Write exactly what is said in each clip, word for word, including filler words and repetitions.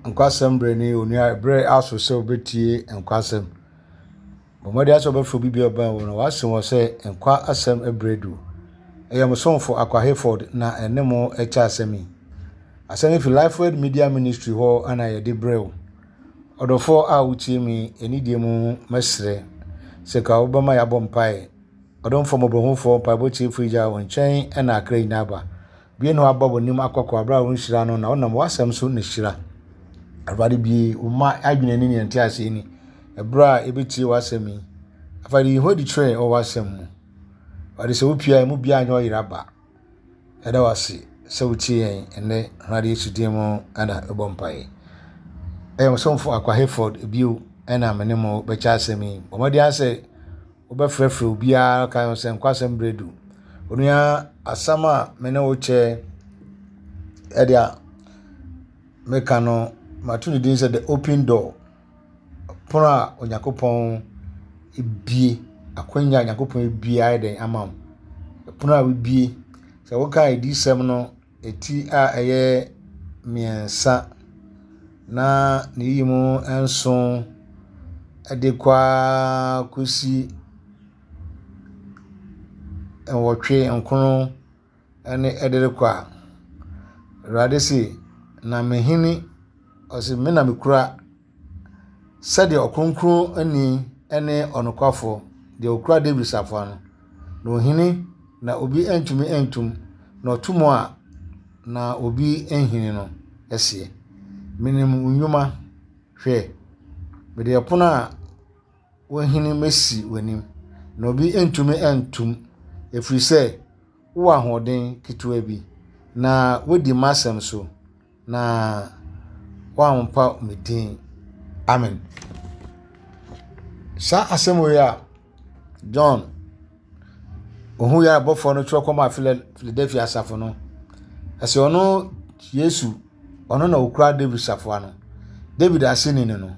Nkwasɛm berɛ ni onua berɛ aso sɛ wobɛtie nkwasɛm. Bɔ mmɔden sɛ wobɛfrɛ obi biara ɔbɛn wo no wase wɔ sɛ nkwa asɛm berɛ du. Ɛyɛ mo somfo Akwa Hayford na ɛne mo ɛkyɛ asɛm yi. Asɛm yi fi Lifeword Media Ministry hɔ ana yɛde brɛ wo. Ɔdɔfoɔ a wotie mi anidie mu mɛsrɛ sɛ ka wobɛma yɛabɔ mpaeɛ. Ɔdomfoɔ mmɔborɔhufoɔ mpaebɔ tiefo gya wo nkyɛn ɛna akra nyinaa ba. Bie na waba w'anim akɔkɔ abere a wonhyira no na wonam w'asɛm so na hyira. Awurade bie wo mma adwene ne nea nte ni. Ɛberɛ a ɛbɛtie w'asɛm yi. Afei yi ho adi kyerɛ wɔ w'asɛm mu. Awurade sɛ wopia emu biara nyɛ ɔyera ba. Ɛda w'ase sɛ wotie yɛn ɛnnɛ Awurade Yesu din mu ɛna ɛbɔ mpaeɛ. Ɛyɛ mo somfo Akwa Hayford bio ɛna me ne mo bɛkyɛ asɛm yi. Bɔ mmɔden sɛ wobɛfrɛfrɛ obiara ka ho sɛ nkwasɛm berɛ du. Onua asɛm a me ne wo kyɛ ɛde a meka no mato ne din sɛ the open door. Pono a Onyankopɔn ebie akwanya a Onyankopɔn ebie ayɛ dɛn ama wo. Pono a wobie sɛ woka adiyisɛm no eti a ɛyɛ mmiɛnsa na ne yi mu nson ɛde kɔ ara kɔsi nwɔtwe nkron ɛne ɛde rekɔ a, Awurade se na mehene ɔse me na mekura sɛdeɛ ɔkronkronni ne ɔnokwafoɔ deɛ okura David safoa no na ohene na obi ntumi ntum na ɔto mu a na obi nhini no ɛseɛ. Menim wo nnwuma hwɛ mede ɛpono a wɔahini masi w'anim na obi ntumi ntum ɛfiri sɛ wowɔ ahoɔden ketewa bi na wodi m'asɛm so na woampa me din. Amen. Saa asɛm wei a John ohun yɛ abɔfoɔ no twerɛ kɔma Philadelphia asafo no ɛsɛ ɔno Yesu ɔno na okura David safoa no. David aseni no no.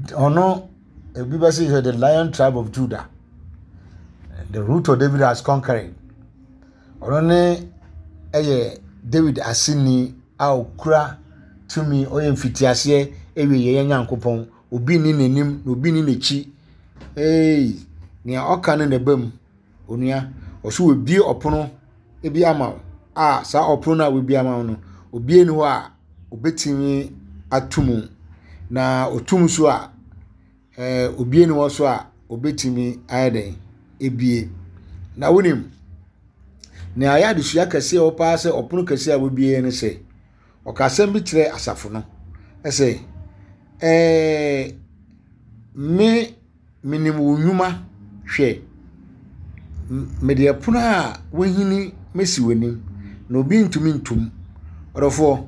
Ɔno ebi bɛ sɛ the lion tribe of Judah. The root of David has conquered. Ɔno ne ɛyɛ David aseni a okura tumi ɔyɛ mfitiaseɛ ɛwie yɛn Nyankopɔn. Obi ni n'anim na obi ni n'akyi. Ee, nea ɔka no na ɛba mu. Onua, ɔso wabue ɔpono bi ama wo a saa ɔpono no a wabue ama wo no, obi ni hɔ a obetumi ato mu. Na otum so a, ɛɛ obi ni hɔ so a obetumi ayɛ dɛn ebie. Na wonim, nea ayɛ adesua kɛseɛ wɔ paa sɛ ɔpono kɛseɛ a wabue ne sɛ, ɔka asɛm bi kyerɛ asafo no ɛsɛ ɛɛ me menim wo nnwuma hwɛ mede ɛpono a wahini mesi w'anim na obi ntumi ntom. Ɔdɔfoɔ,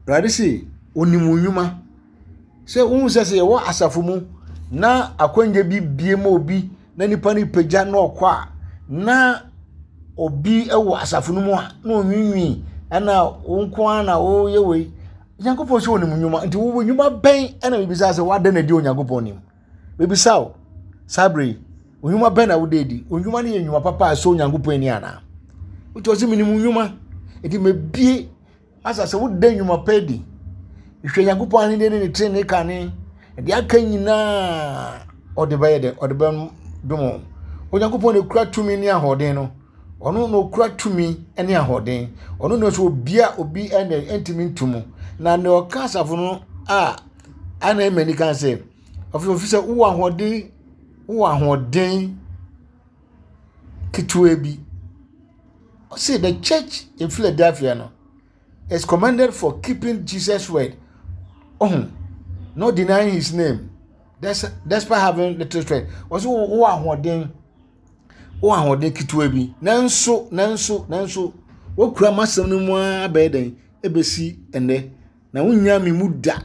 Awurade se onim wo nnwuma. Sɛ wohu sɛ sɛ yɛwɔ asafo mu na akwannya bi bie ma obi na nipa no pagya na ɔkɔ a na obi wɔ asafo no mu a na onwiinwii ɛna wo nko ara na woyɛ wei. Nyankopɔn sɛ onim nnwuma nti wo nnwuma bɛn ɛna bibisa sɛ wada na di Onyankopɔn nim. Bibisa wo saa bere yi nnwuma bɛn na wode adi? Nnwuma no yɛ nnwuma papa a ɛsɔ Onyankopɔn ani anaa? Wotu ɔsɛ menim nnwuma nti mebie asa sɛ woda nnwuma pa adi. Hwɛ Nyankopɔn ahenni ne ne trenee kane. Deɛ aka nyinaa ɔde bɛyɛ dɛ ɔde bɛdom wo. Onyankopɔn na ekura tumi ne ahoɔden no. Ɔno na okura tumi ne ahoɔden. Ɔno na nso obi a obi ɛna ntumi ntum. Na nea ɔka asafo no a ana ɛma ani kan sɛ ɔfi ofi sɛ wowɔ ahoɔden wowɔ ahoɔden ketewa bi. Ɔse the church in Philadelphia no is commended for keeping Jesus word. Oh, not denying his name. Despite having little strength. Ɔse wowɔ ahoɔden wowɔ ahoɔden ketewa bi. Nanso nanso nanso wokura m'asɛm no mu ara bɛyɛ dɛn ebesi ɛnnɛ. Na wonnya me mu da.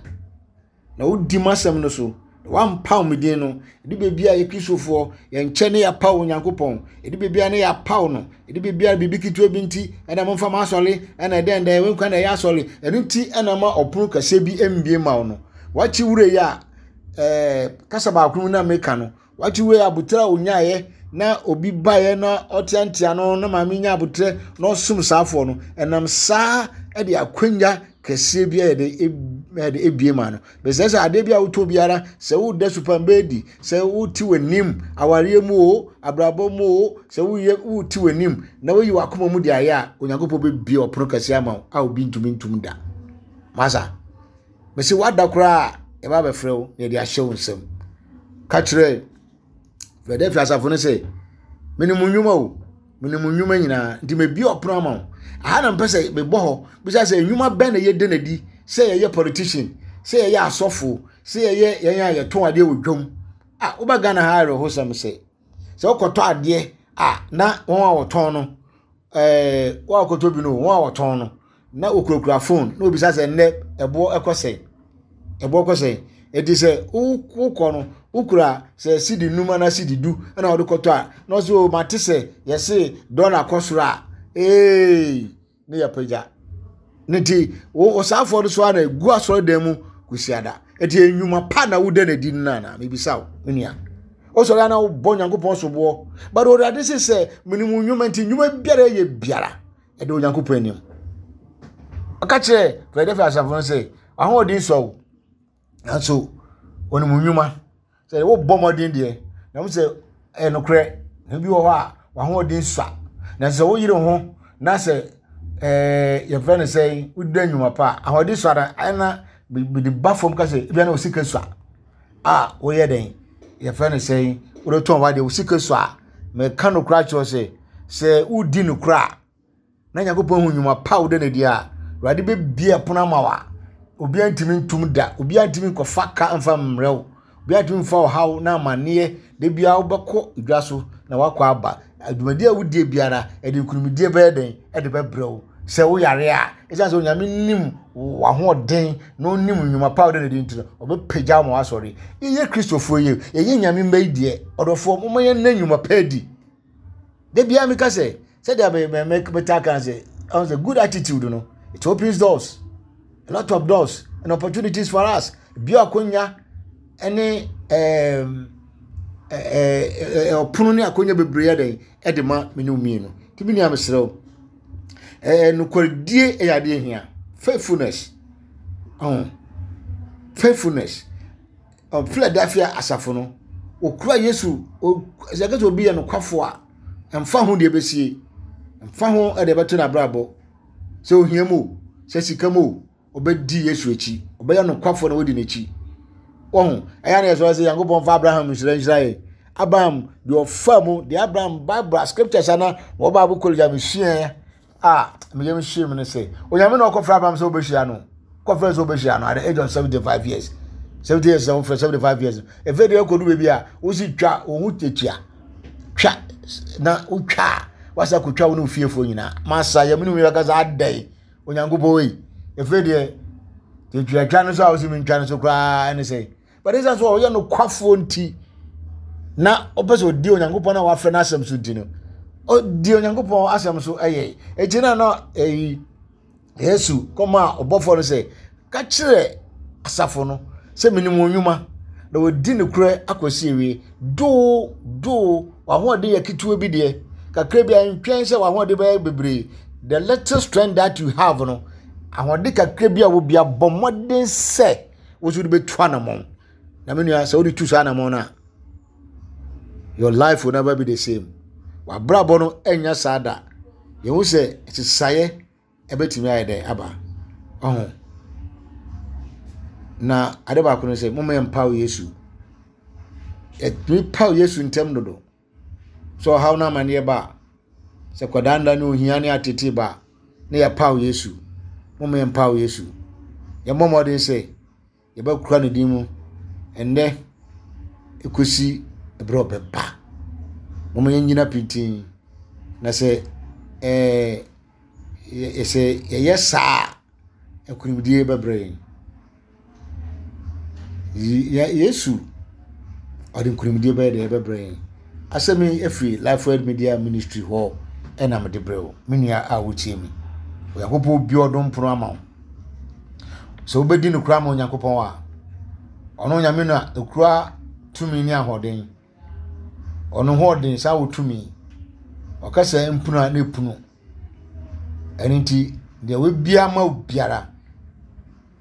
Na wodi m'asɛm no so. Wampaw me din no. Ɛde baabi a yɛ Kristofoɔ yɛnkyɛ ne yɛapaw Onyankopɔn. Ɛde baabi a ne yɛapaw no. Ɛde baabi a biribi ketewa bi nti ɛna momfa ma asɔre ɛna ɛdɛn dɛn wɔnkwa na ɛyɛ asɔre. Ɛno nti ɛna ma ɔpono kɛseɛ bi mbie ma wo no. Wakyi wura yi a ɛɛ kasa baako mu na meka no. Wakyi wura yi abotire a onyaeɛ na obi baeɛ na ɔteantea no na maame nya abotire na ɔsom saafoɔ no. Ɛnam saa ɛde akwanya kɛseɛ bi ayɛ de ɛde ebie ma no. Bɛsɛ sɛ adeɛ bi a wotɔ biara, sɛ woda supambɛɛdi, sɛ wote w'anim awareɛ mu o, abrabɔ mu o, sɛ woyɛ wote w'anim na woyi w'akoma mu de ayɛ a, Onyankopɔn bɛbie ɔpono kɛseɛ ama wo a obi ntumi ntum da. Masa, mɛsɛ wada koraa yɛba abɛfrɛ wo na yɛde ahyɛ wo nsam. Ka kyerɛ Philadelphia asafo no sɛ, menim nnwuma o, menim nnwuma nyinaa, nti mebie ɔpono ama wo. Aha na mpɛ sɛ mebɔ hɔ bisa sɛ nnwuma bɛn na yɛde n'adi, sɛ yɛyɛ politician, sɛ yɛyɛ asɔfo, sɛ yɛyɛ yɛn a yɛtɔn adeɛ wɔ dwam. A woba Ghana ha awerɛhosɛm sɛ sɛ wokɔtɔ adeɛ a na wɔn a wɔtɔn no, ɛɛ wɔn a wɔkɔtɔ bi no, wɔn a wɔtɔn no na wɔkurakura phone na obisa sɛ nnɛ ɛboɔ ɛkɔ sɛn, ɛboɔ kɔ sɛn. Eti sɛ wokɔ no wokura sɛ sidi num anaa sidi du ɛna wɔde kɔtɔ a, na ɔsɛ o mate sɛ yɛse dɔla kɔ soro a, ee ne yɛ pagya. Ne ti wo ɔsaafoɔ no so a na egu asɔredan mu kusiada. Eti enyuma pa na woda n'adi no nana mebisa wo me nua. Wosɔre ana wobɔ Nyankopɔn soboɔ. But Awurade se sɛ menim nnwuma nti nnwuma biara ɛyɛ biara ɛde Onyankopɔn anim. Ɔka kyerɛ Philadelphia asafo no sɛ ahoɔden sɔ wo, nanso wɔnim nnwuma. Sɛ wobɔ mmɔden deɛ, na wo sɛ ɛyɛ nokorɛ, na bi wɔ hɔ a w'ahoɔden sua. Na sɛ woyere ho na sɛ ɛɛ yɛfrɛ no sɛ woda nnwuma pa a, ahoɔden sua na ɛna bide ba fam ka sɛ ebia na wo sika sua a woyɛ dɛn, yɛfrɛ no sɛ wodetɔn w'adeɛ, wo sika sua a, mɛka nokorɛ akyerɛ sɛ sɛ wodi nokorɛ a na Nyankopɔn hu nnwuma pa a woda n'adi a, Awurade bɛbie ɛpono ama wo a obiara ntumi ntum da, obiara ntumi nkɔfa ka mfa mmerɛ wo, obiara ntumi mfa ɔhaw na amanneɛ. Da biara wobɛkɔ dwa so na wakɔ aba. Adwumadie a wodie biara ɛde nkunimdie bɛyɛ dɛn ɛde bɛbrɛ wo. Sɛ woyare a, ɛsiane sɛ Onyame nim w'ahoɔden na onim nnwuma pa a wode n'adi nti no, ɔbɛpagya wo ma wasɔre. Yɛyɛ Kristofoɔ yi, yɛyɛ Nyame mma yi deɛ, ɔdɔfoɔ, momma yɛnna nnwuma pa adi. Da biara meka sɛ, sɛdeɛ me me metaa ka sɛ, ɔn sɛ good attitude no, it opens doors, a lot of doors and opportunities for us. Bi akonya ɛne ɛɛm ɛɛ ɔpono ne akonya bebree yɛ dɛn ɛde ma me ne mmienu. Nti me nua mesrɛ wo, ɛɛ nokwaredie ɛyɛ adeɛ hia. Faithfulness, ɔn faithfulness. Ɔ Philadelphia asafo no, okura Yesu, o sɛ kɛsɛ obi yɛ nokwafo a, mfa ho deɛ ɛbɛsie, mfa ho ɛde ɛbɛto n'abrabɔ, sɛ ohia mu o, sɛ sika mu o, ɔbɛdi Yesu akyi, ɔbɛyɛ nokwafo na wadi n'akyi. Wɔho ɛyɛ na yɛsɔrɔ sɛ Nyankopɔn fa Abraham nhyira nhyira yɛ. Abraham deɛ ɔfa mu, deɛ Abraham Bible scriptures ana wɔ Bible college a mesua a meyɛ mehyia mu no sɛ Onyame na ɔkɔfrɛ Abraham sɛ wobɛhyia no, kɔfrɛ sɛ wobɛhyia no at the age of seventy five years. seventy years na wofrɛ seventy five years. Efe deɛ ɛkɔdu baabi a wosi twa wo ho tetua, twa na wotwa a wasa kotwa wo ne ofiefoɔ nyinaa. Masa yɛ mene mu bɛka sɛ adɛn Onyankopɔn wei. Efe deɛ tetua twa no so a wosi mentwa no so koraa ɛne sɛ, but ɛsiane sɛ ɔyɛ nokwafoɔ nti na ɔpɛ sɛ ɔdi Onyankopɔn a wafrɛ no asɛm so nti no, ɔdi Onyankopɔn asɛm so ɛyɛ. Eti na na ɛyi Yesu kɔma ɔbɔfoɔ no sɛ ka kyerɛ asafo no sɛ menim wɔn nnwuma na wɔdi nokorɛ akɔsi awie. Doo doo w'ahoɔden yɛ ketewa bi deɛ, kakra bi a ntwɛn sɛ w'ahoɔden bɛyɛ bebree. The little strength that you have no, ahoɔden kakra bi a wɔ bi abɔ mmɔden sɛ woso de bɛtu anammɔn. Na me nua sɛ wode tu saa anammɔn no a, your life will never be the same. W'abrabɔ no ɛnya saa da. Yɛhu sɛ sesaeɛ ɛbɛtumi ayɛ dɛn aba. Ɔho. Na ade baako no sɛ momma yɛmpaw Yesu. Yɛtumi paw Yesu ntɛm dodo. Sɛ ɔhaw no amanneɛ ba a, sɛ kɔdaanna ne ohia ne atete ba a, na yɛpaw Yesu. Momma yɛmpaw Yesu. Yɛmmɔ mmɔden sɛ yɛbɛkura ne din mu ɛnnɛ ekosi ɛberɛ a ɔbɛba. Momma yɛnnyina pintinn. Na sɛ ɛɛ sɛ yɛyɛ saa a, nkonimdie bɛbrɛ yɛn. Yesu ɔde nkonimdie bɛyɛ deɛ ɛbɛbrɛ yɛn. Asɛm yi afiri Lifeword Media Ministry hɔ ɛna mede brɛ wo, me nua a wotie mi. Onyankopɔn bi ɔdom pono ama wo. Sɛ wobɛdi nokora ama Onyankopɔn a, ɔno Onyame no a ekura tumi ne ahoɔden. Ɔno ho ɔden saa wɔ tumi. Ɔka sɛ mpunu a na epunu. Ɛno nti deɛ wabia ama wo biara,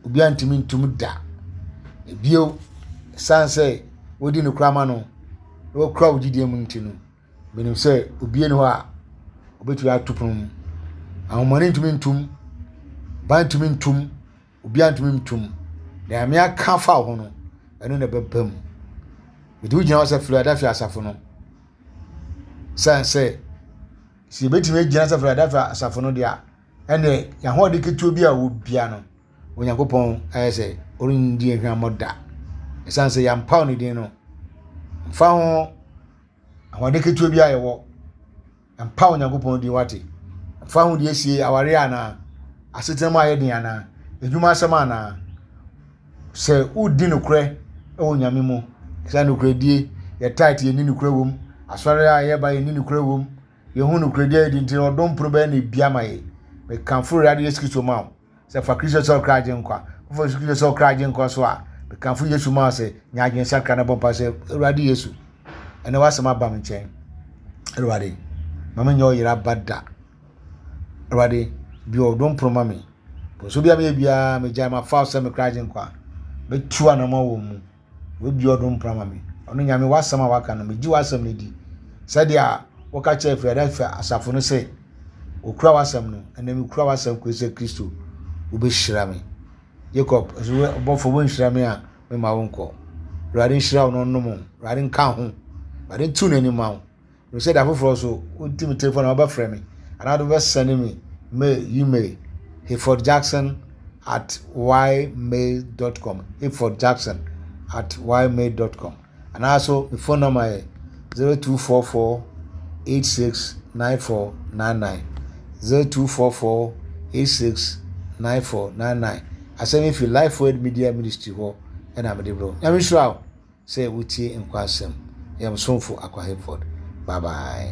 Obiara ntumi ntum da. Ebio, ɛsiane sɛ wodi nokorɛ ama no na wakura wo gyidie mu nti no, menim sɛ obiara ni hɔ a obetumi ato pono mu. Ahomɔne ntumi ntum, ban ntumi ntum, obiara ntumi ntum. Nea Nyame aka afa wo ho no, ɛno na ɛbɛba mu. Mede wo gyina hɔ sɛ Philadelphia asafo no. Sane sɛ sɛ yɛbɛtumi agyina sɛ Philadelphia asafo no deɛ a, ɛnneɛ yɛn ahoɔden ketewa bi a wɔ bia no, Onyankopɔn ayɛ sɛ ɔrendi yɛn hwammɔ da. Ɛsiane sɛ yɛampaw ne din no, mfa ho ahoɔden ketewa bi a yɛwɔ, mpa Onyankopɔn din wate. Mfa ho deɛ esie awareɛ anaa, asetena mu ayɛ den anaa, adwuma asɛm anaa. Sɛ wodi nokorɛ wɔ Nyame mu, sɛ nokorɛdie, yɛ tight yɛni nokorɛ wɔ mu, asɔre a yɛba yɛni nokorɛ wɔ mu, yɛhu nokorɛdie a yɛdi nti ɔdom pono bɛyɛ na ebia ma yɛ. Mekamfo Awurade Yesu Kristo ma wo. Sɛ fa Kristo sɛ ɔkra agye nkwa. Wofa Yesu Kristo sɛ ɔkra agye nkwa so a, mekamfo Yesu ma wo sɛ nya adwensakra na bɔ mpa sɛ Awurade Yesu, ɛnɛ w'asɛm aba me nkyɛn. Awurade, ma menyɛ ɔyera ba da. Awurade, bi ɔdom pono ma me. Nso bi a meyɛ biara megyae mafa wo sɛ me kra agye nkwa. Mɛtu anamɔ wɔ mu. Wabue ɔdom pono ama me. Ɔno Nyame w'asɛm a waka no, megye w'asɛm no di. Sɛdeɛ wɔka kyerɛ Philadelphia asafo no sɛ okura w'asɛm no, ɛnɛ mekura w'asɛm kɔsi sɛ Kristo wobɛhyira me. Jacob, nso ɔbɔfo wonhyira me a mema wo nkɔ. Awurade nhyira wo na ɔnnom wo. Awurade nka ho. Awurade ntu n'anim ma wo. Sɛ da foforɔ so wonti me telefon na wobɛfrɛ me anaa wode wobɛsɛne me mail, email, hayfordjackson at ymail dot com, hayfordjackson at ymail dot com, anaa so me phone number yɛ zero two four four eight six nine four nine nine, zero two four four eight six nine four nine nine. Asɛm yi fi Life Word Media Ministry hɔ ɛna mede brɛ wo. Nyame nhyira wo sɛ wotie nkwa asɛm. Yɛ msomfo Akwa Hayford. Bye bye.